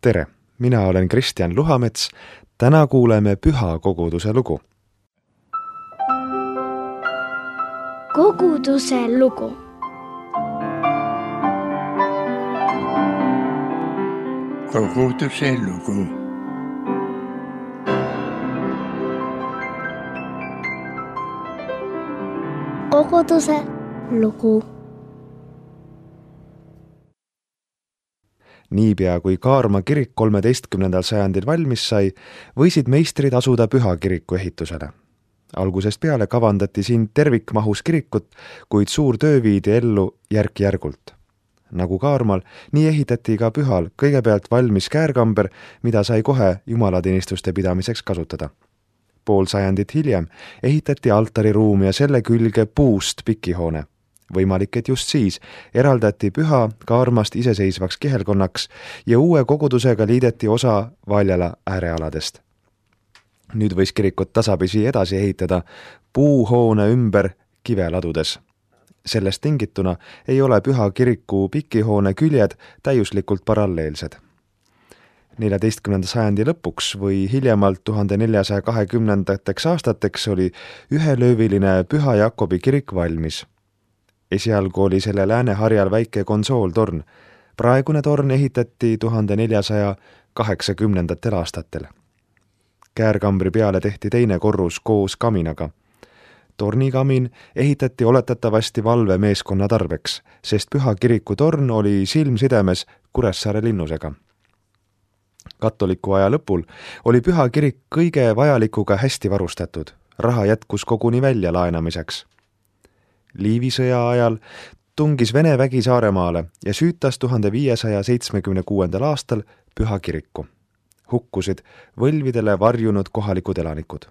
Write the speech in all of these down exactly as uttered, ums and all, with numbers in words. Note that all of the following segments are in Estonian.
Tere, mina olen Kristjan Luhamets. Täna kuuleme Püha koguduse lugu. Koguduse lugu. Koguduse lugu. Koguduse lugu. Niipea kui Kaarma kirik kolmeteistkümnendal sajandil valmis sai, võisid meistrid asuda Püha kiriku ehitusele. Algusest peale kavandati siin tervikmahus kirikut, kuid suur töö viidi ellu järk-järgult. Nagu Kaarmal, nii ehitati ka Pühal kõigepealt valmis käärkamber, mida sai kohe jumalateenistuste pidamiseks kasutada. Pool sajandit hiljem ehitati altariruum ja selle külge puust pikihoone. Võimalik, et just siis eraldati Püha Kaarmast iseseisvaks kihelkonnaks ja uue kogudusega liideti osa Valjala äärealadest. Nüüd võis kirikut tasapisi edasi ehitada puuhoone ümber kiveladudes. Sellest tingituna ei ole Püha kiriku pikihoone küljed täiuslikult paralleelsed. neljateistkümnenda sajandi lõpuks või hiljemalt tuhande neljasaja kahekümnendateks aastateks oli ühelööviline Püha Jakobi kirik valmis. Esialgu oli selle Lääneharjal väike konsooltorn. Praegune torn ehitati tuhande neljasaja kaheksakümnendatel aastatel. Käärkambri peale tehti teine korrus koos kaminaga. Tornikamin ehitati oletatavasti valvemeeskonna tarbeks, sest Püha kiriku torn oli silmsidemes Kuressaare linnusega. Katoliku aja lõpul oli Püha kirik kõige vajalikuga hästi varustatud. Raha jätkus koguni välja laenamiseks. Liivi sõja ajal tungis Vene vägi Saaremaale ja süütas tuhande viiesaja seitsmekümne kuuendal aastal Püha kiriku. Hukkusid võlvidele varjunud kohalikud elanikud.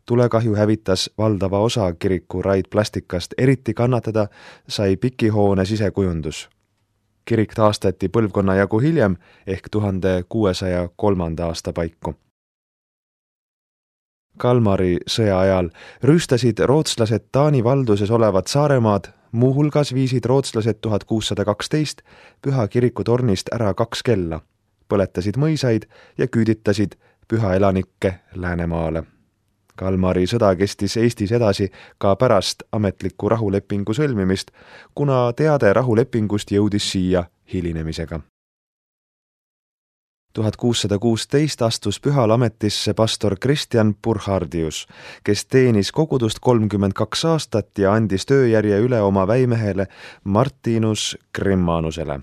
Tulekahju hävitas valdava osa kiriku raidplastikast, eriti kannatada sai pikihoone sisekujundus. Kirik taastati põlvkonna jagu hiljem ehk tuhande kuuesaja kolmanda aasta paiku. Kalmari sõja ajal rüüstasid rootslased Taani valduses olevat Saaremaad, muuhulgas viisid rootslased tuhat kuussada kaksteist Püha kiriku tornist ära kaks kella, põletasid mõisaid ja küüditasid Püha elanikke Läänemaale. Kalmari sõda kestis Eestis edasi ka pärast ametliku rahulepingu sõlmimist, kuna teade rahulepingust jõudis siia hilinemisega. tuhat kuussada kuusteist astus Pühal ametisse pastor Kristjan Burhardius, kes teenis kogudust kolmkümmend kaks aastat ja andis tööjärje üle oma väimehele Martinus Grimmanusele.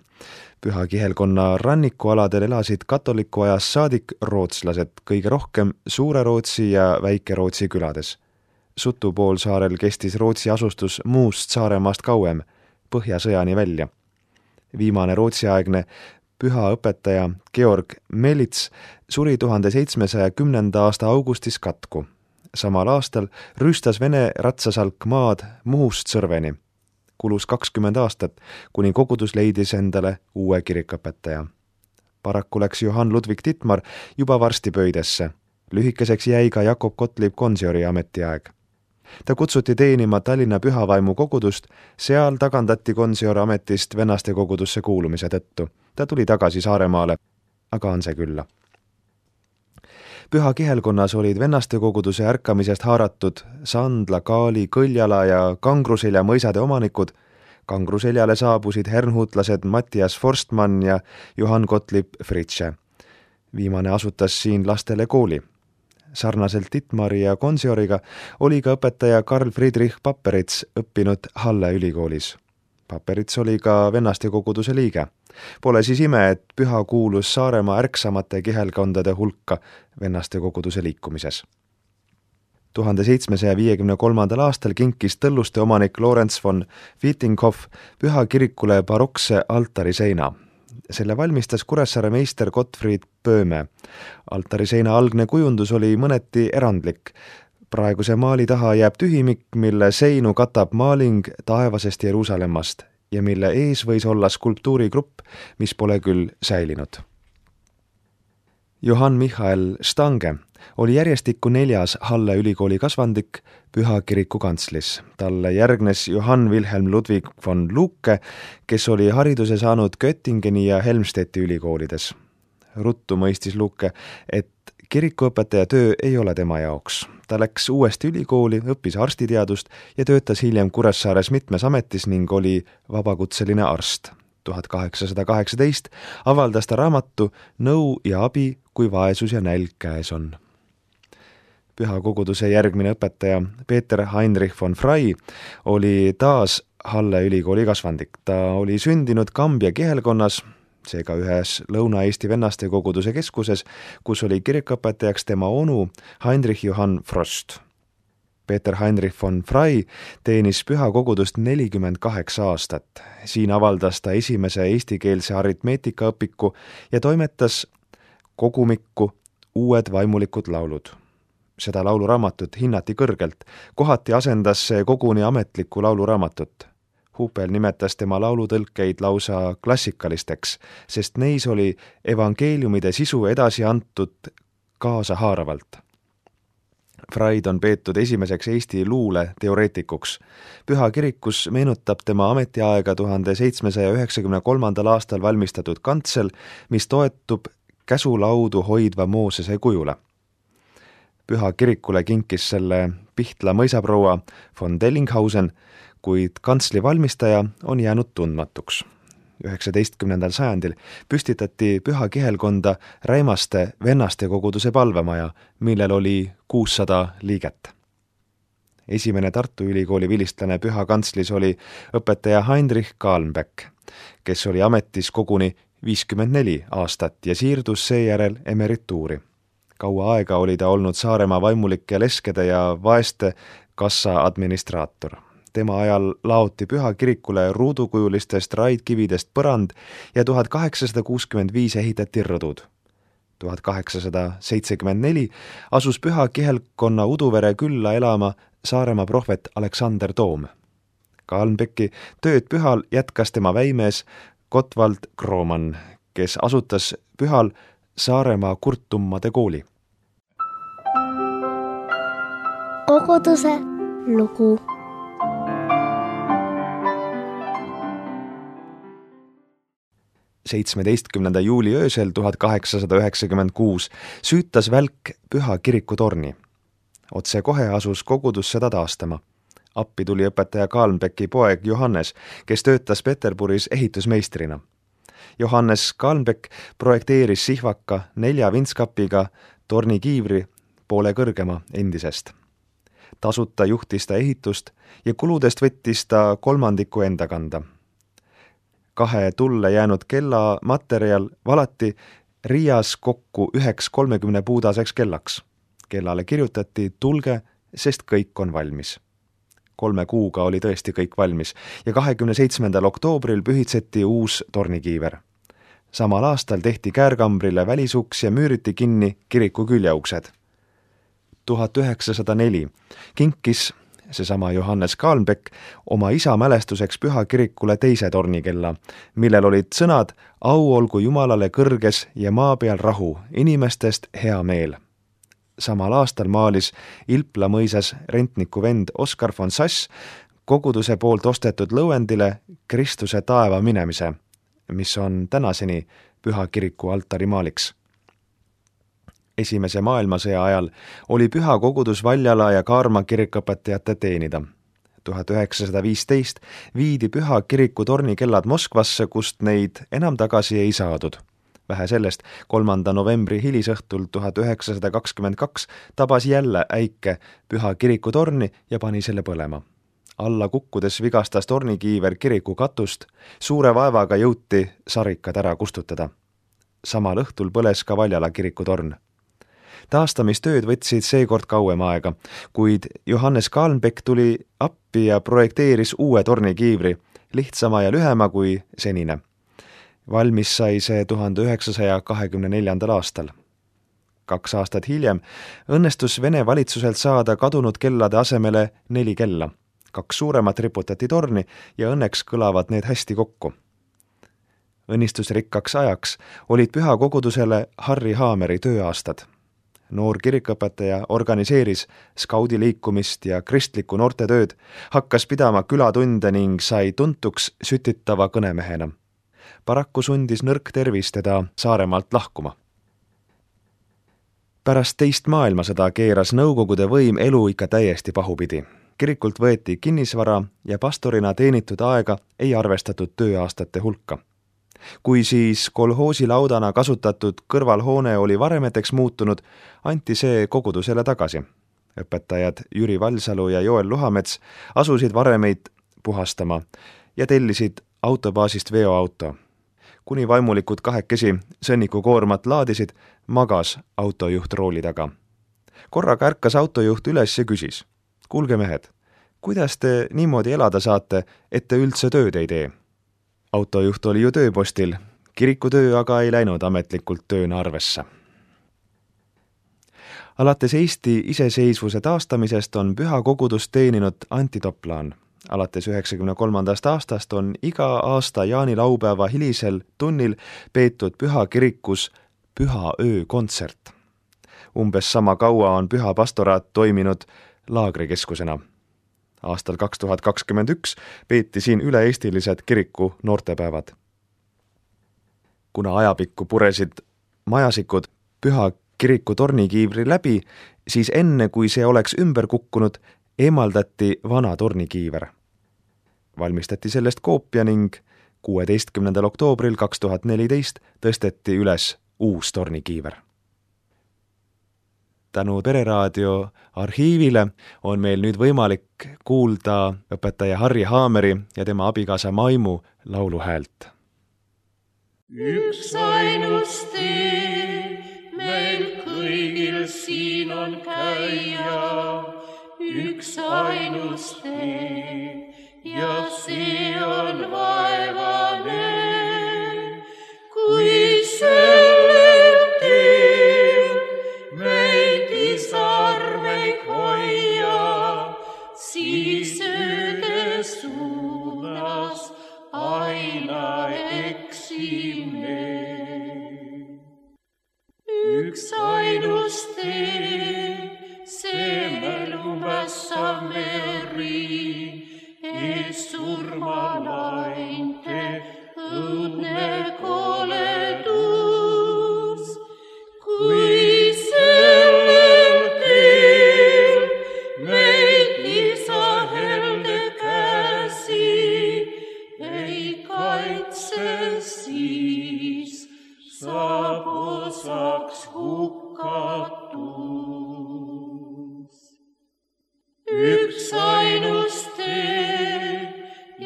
Püha kihelkonna rannikualadel elasid katoliku ajast saadik rootslased, kõige rohkem Suure-Rootsi ja Väike-Rootsi külades. Sutupoolsaarel kestis Rootsi asustus muust Saaremaast kauem, Põhjasõjani välja. Viimane rootsiaegne Püha õpetaja Georg Melits suri tuhande seitsmesaja kümnenda aasta augustis katku. Samal aastal rüüstas Vene ratsasalk maad Muhust Sõrveni. Kulus kakskümmend aastat, kuni kogudus leidis endale uue kirikõpetaja. Paraku läks Johann Ludwig Dittmar juba varsti pöidesse. Lühikeseks jäi ka Jakob Gottlieb Konsiori ametiaeg. Ta kutsuti teenima Tallinna Pühavaimu kogudust, seal tagandati Konsior ametist vennaste kogudusse kuulumise tõttu. Ta tuli tagasi Saaremaale, aga on see külla. Püha kihelkonnas olid vennaste koguduse ärkamisest haaratud Sandla, Kaali, Kõljala ja Kangruselja mõisade omanikud. Kangruseljale saabusid hernhutlased Mattias Forstmann ja Johann Gottlieb Fritsche. Viimane asutas siin lastele kooli. Sarnaselt Dittmari ja Konsioriga oli ka õpetaja Karl Friedrich Papperits õppinud Halle ülikoolis. Papperits oli ka vennaste koguduse liige. Pole siis ime, et Püha kuulus Saaremaa ärksamate kihelkondade hulka vennaste koguduse liikumises. tuhande seitsmesaja viiekümne kolmandal aastal kinkis Tõlluste omanik Lorenz von Wittinghoff Püha kirikule barokse altariseina. Selle valmistas Kuressaare meister Gottfried Pööme. Altariseina algne kujundus oli mõneti erandlik. Praeguse maali taha jääb tühimik, mille seinu katab maaling taevasest Jeruusalemmast ja mille ees võis olla skulptuurigrupp, mis pole küll säilinud. Johann Michael Stange oli järjestikku neljas Halle ülikooli kasvandik Püha kiriku kantslis. Talle järgnes Johann Wilhelm Ludwig von Lucke, kes oli hariduse saanud Göttingeni ja Helmstedti ülikoolides. ruttu mõistis Luke, et kirikuõpetaja töö ei ole tema jaoks. Ta läks uuesti ülikooli, õppis arstiteadust ja töötas hiljem Kuressaares mitmes ametis ning oli vabakutseline arst. tuhat kaheksasada kaheksateist avaldas ta raamatu Nõu ja abi, kui vaesus ja nälg käes on. Pühakoguduse järgmine õpetaja Peeter Heinrich von Frey oli taas Halle ülikooli kasvandik. Ta oli sündinud Kambja kihelkonnas, seega ühes Lõuna-Eesti vennaste koguduse keskuses, kus oli kirikuõpetajaks tema onu Heinrich Johann Frost. Peeter Heinrich von Frey teenis pühakogudust nelikümmend kaheksa aastat. Siin avaldas ta esimese eestikeelse aritmeetikaõpiku ja toimetas kogumikku Uued vaimulikud laulud. Seda lauluraamatut hinnati kõrgelt, kohati asendas see koguni ametlikku lauluraamatut. Hupel nimetas tema laulutõlkeid lausa klassikalisteks, sest neis oli evangeeliumide sisu edasi antud kaasahaaravalt. Freid on peetud esimeseks Eesti luule teoreetikuks. Püha kirikus meenutab tema ametiaega tuhande seitsmesaja üheksakümne kolmandal aastal valmistatud kantsel, mis toetub käsulaudu hoidva Moosese kujule. Püha kirikule kinkis selle Pihtla mõisaproua von Dellinghausen, kuid kantsli valmistaja on jäänud tundmatuks. üheksateistkümnendal sajandil püstitati Püha kihelkonda Räimaste vennaste koguduse palvemaja, millel oli kuussada liiget. Esimene Tartu Ülikooli vilistlane Püha kantslis oli õpetaja Heinrich Kahlenbeck, kes oli ametis koguni viiskümmend neli aastat ja siirdus seejärel emerituuri. Kaua aega oli ta olnud Saaremaa vaimulike leskede ja vaeste kassa administraator. Tema ajal laoti Püha kirikule ruudukujulistest raidkividest põrand ja tuhat kaheksasada kuuskümmend viis ehitati rõdud. tuhat kaheksasada seitsekümmend neli asus Püha kihelkonna Uduvere külla elama Saaremaa prohvet Aleksander Toom. Kahlenbecki tööd Pühal jätkas tema väimees Gottwald Kromann, kes asutas Pühal Saaremaa kurtummade kooli. Koguduse lugu. seitsmeteistkümnenda juuli öösel tuhat kaheksasada üheksakümmend kuus süütas välk Püha kiriku torni. Otse kohe asus kogudus seda taastama. Appi tuli õpetaja Kahlenbecki poeg Johannes, kes töötas Peterburis ehitusmeistrina. Johannes Kahlenbeck projekteeris sihvaka nelja vintskapiga tornikiivri poole kõrgema endisest. Tasuta juhtis ta ehitust ja kuludest võttis ta kolmandiku enda kanda. Kahe tulle jäänud kella materjal valati Riias kokku üheks kolmekümne puudaseks kellaks. Kellale kirjutati tulge, sest kõik on valmis. Kolme kuuga oli tõesti kõik valmis ja kahekümne seitsmendal oktoobril pühitseti uus tornikiiver. Samal aastal tehti käärkambrile välisuks ja müüriti kinni kiriku küljeuksed. tuhat üheksasada neli kinkis seesama Johannes Kahlenbeck oma isa mälestuseks Püha kirikule teise tornikella, millel olid sõnad au olgu Jumalale kõrges ja maa peal rahu, inimestest hea meel. Samal aastal maalis Ilpla mõisas rentniku vend Oskar von Sass koguduse poolt ostetud lõuendile Kristuse taeva minemise, mis on tänaseni Püha kiriku altarimaaliks. Esimese maailmasõja ajal oli Püha kogudus Valjala ja Kaarma kirikõpetajate teenida. tuhat üheksasada viisteist viidi Püha kiriku tornikellad Moskvasse, kust neid enam tagasi ei saadud. Vähe sellest, kolmanda novembri hilisõhtul tuhat üheksasada kakskümmend kaks tabas jälle äike Püha kiriku torni ja pani selle põlema. Alla kukkudes vigastas tornikiiver kiriku katust, suure vaevaga jõuti sarikad ära kustutada. Samal õhtul põles ka Valjala kiriku torn. Taastamistööd võtsid seekord kauem aega, kuid Johannes Kahlenbeck tuli appi ja projekteeris uue tornikiivri, lihtsama ja lühema kui senine. Valmis sai see tuhande üheksasaja kahekümne neljandal aastal. Kaks aastat hiljem õnnestus Vene valitsuselt saada kadunud kellade asemele neli kella. Kaks suuremat riputati torni ja õnneks kõlavad need hästi kokku. Õnnistusrikkaks ajaks olid Püha kogudusele Harri Haameri tööaastad. Noor kirikõpetaja organiseeris skaudiliikumist ja kristlikku noortetööd, hakkas pidama külatunde ning sai tuntuks sütitava kõnemehena. Paraku sundis nõrk tervis teda Saaremaalt lahkuma. Pärast teist maailmasõda keeras Nõukogude võim elu ikka täiesti pahupidi. Kirikult võeti kinnisvara ja pastorina teenitud aega ei arvestatud tööaastate hulka. Kui siis kolhoosi laudana kasutatud kõrvalhoone oli varemeteks muutunud, anti see kogudusele tagasi. Õpetajad Jüri Valsalu ja Joel Luhamets asusid varemeid puhastama ja tellisid autobaasist veoauto. Kuni vaimulikud kahekesi sõnniku koormat laadisid, magas autojuht rooli taga. Korraga ärkas autojuht üles ja küsis: kuulge mehed, kuidas te niimoodi elada saate, et te üldse tööd ei tee? Autojuht oli ju tööpostil, kirikutöö aga ei läinud ametlikult tööna arvesse. Alates Eesti iseseisvuse taastamisest on püha kogudust teeninud Anti Toplaan. Alates üheksakümne kolmandast aastast on iga aasta jaanilaupäeva hilisel tunnil peetud püha kirikus püha öö kontsert. Umbes sama kaua on püha pastoraat toiminud laagrikeskusena. Aastal kaks tuhat kakskümmend üks peeti siin üle-eestilised kiriku noortepäevad. Kuna ajapikku puresid majasikud püha kiriku tornikiivri läbi, siis enne kui see oleks ümber kukkunud, eemaldati vana tornikiiver. Valmistati sellest koopia ning kuueteistkümnendal oktoobril kaks tuhat neliteist tõsteti üles uus tornikiiver. Tänu Pereraadio arhiivile on meil nüüd võimalik kuulda õpetaja Harri Haameri ja tema abikaasa Maimu lauluhäält. Üks ainus tee meil kõigil siin on käia, üks ainus tee ja see on vaevane, kui sellel teel meid isarmeid hoia, siis ööde suunas aina eksime. Üks ainus tee, see meil umbessa meri, ees surmalainte õudne koledus. Kui sellel teel meid isa helde käsi ei kaitse, siis saab osaks hukatus. Üks ainus tee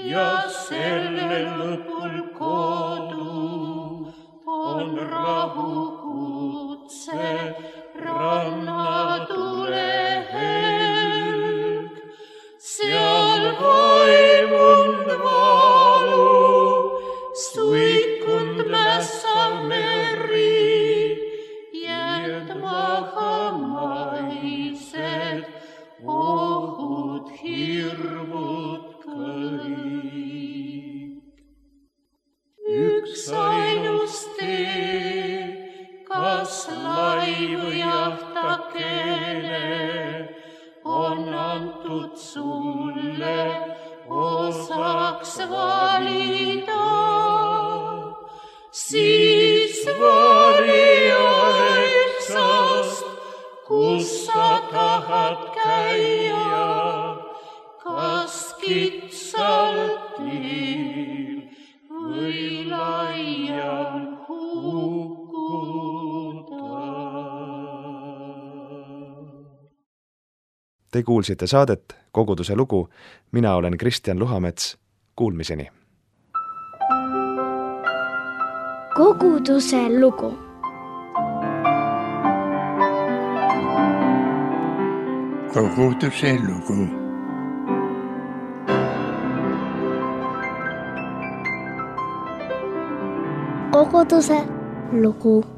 ja selle lõpul kodu on rahukutse rannatule helg. Seal vaimund valu, suikund mässav meri, jätmaha maised ohud, hirmud kõik. Üks ainus tee, kas laivu jahtakene on antud sulle osaks valida, siis valija eksast, kus sa tahad käia, kas kitsalt teel või laial hukkuda. Te kuulsite saadet Koguduse lugu, mina olen Kristjan Luhamets, kuulmiseni. Koguduse lugu. Koguduse lugu. Koguduse lugu.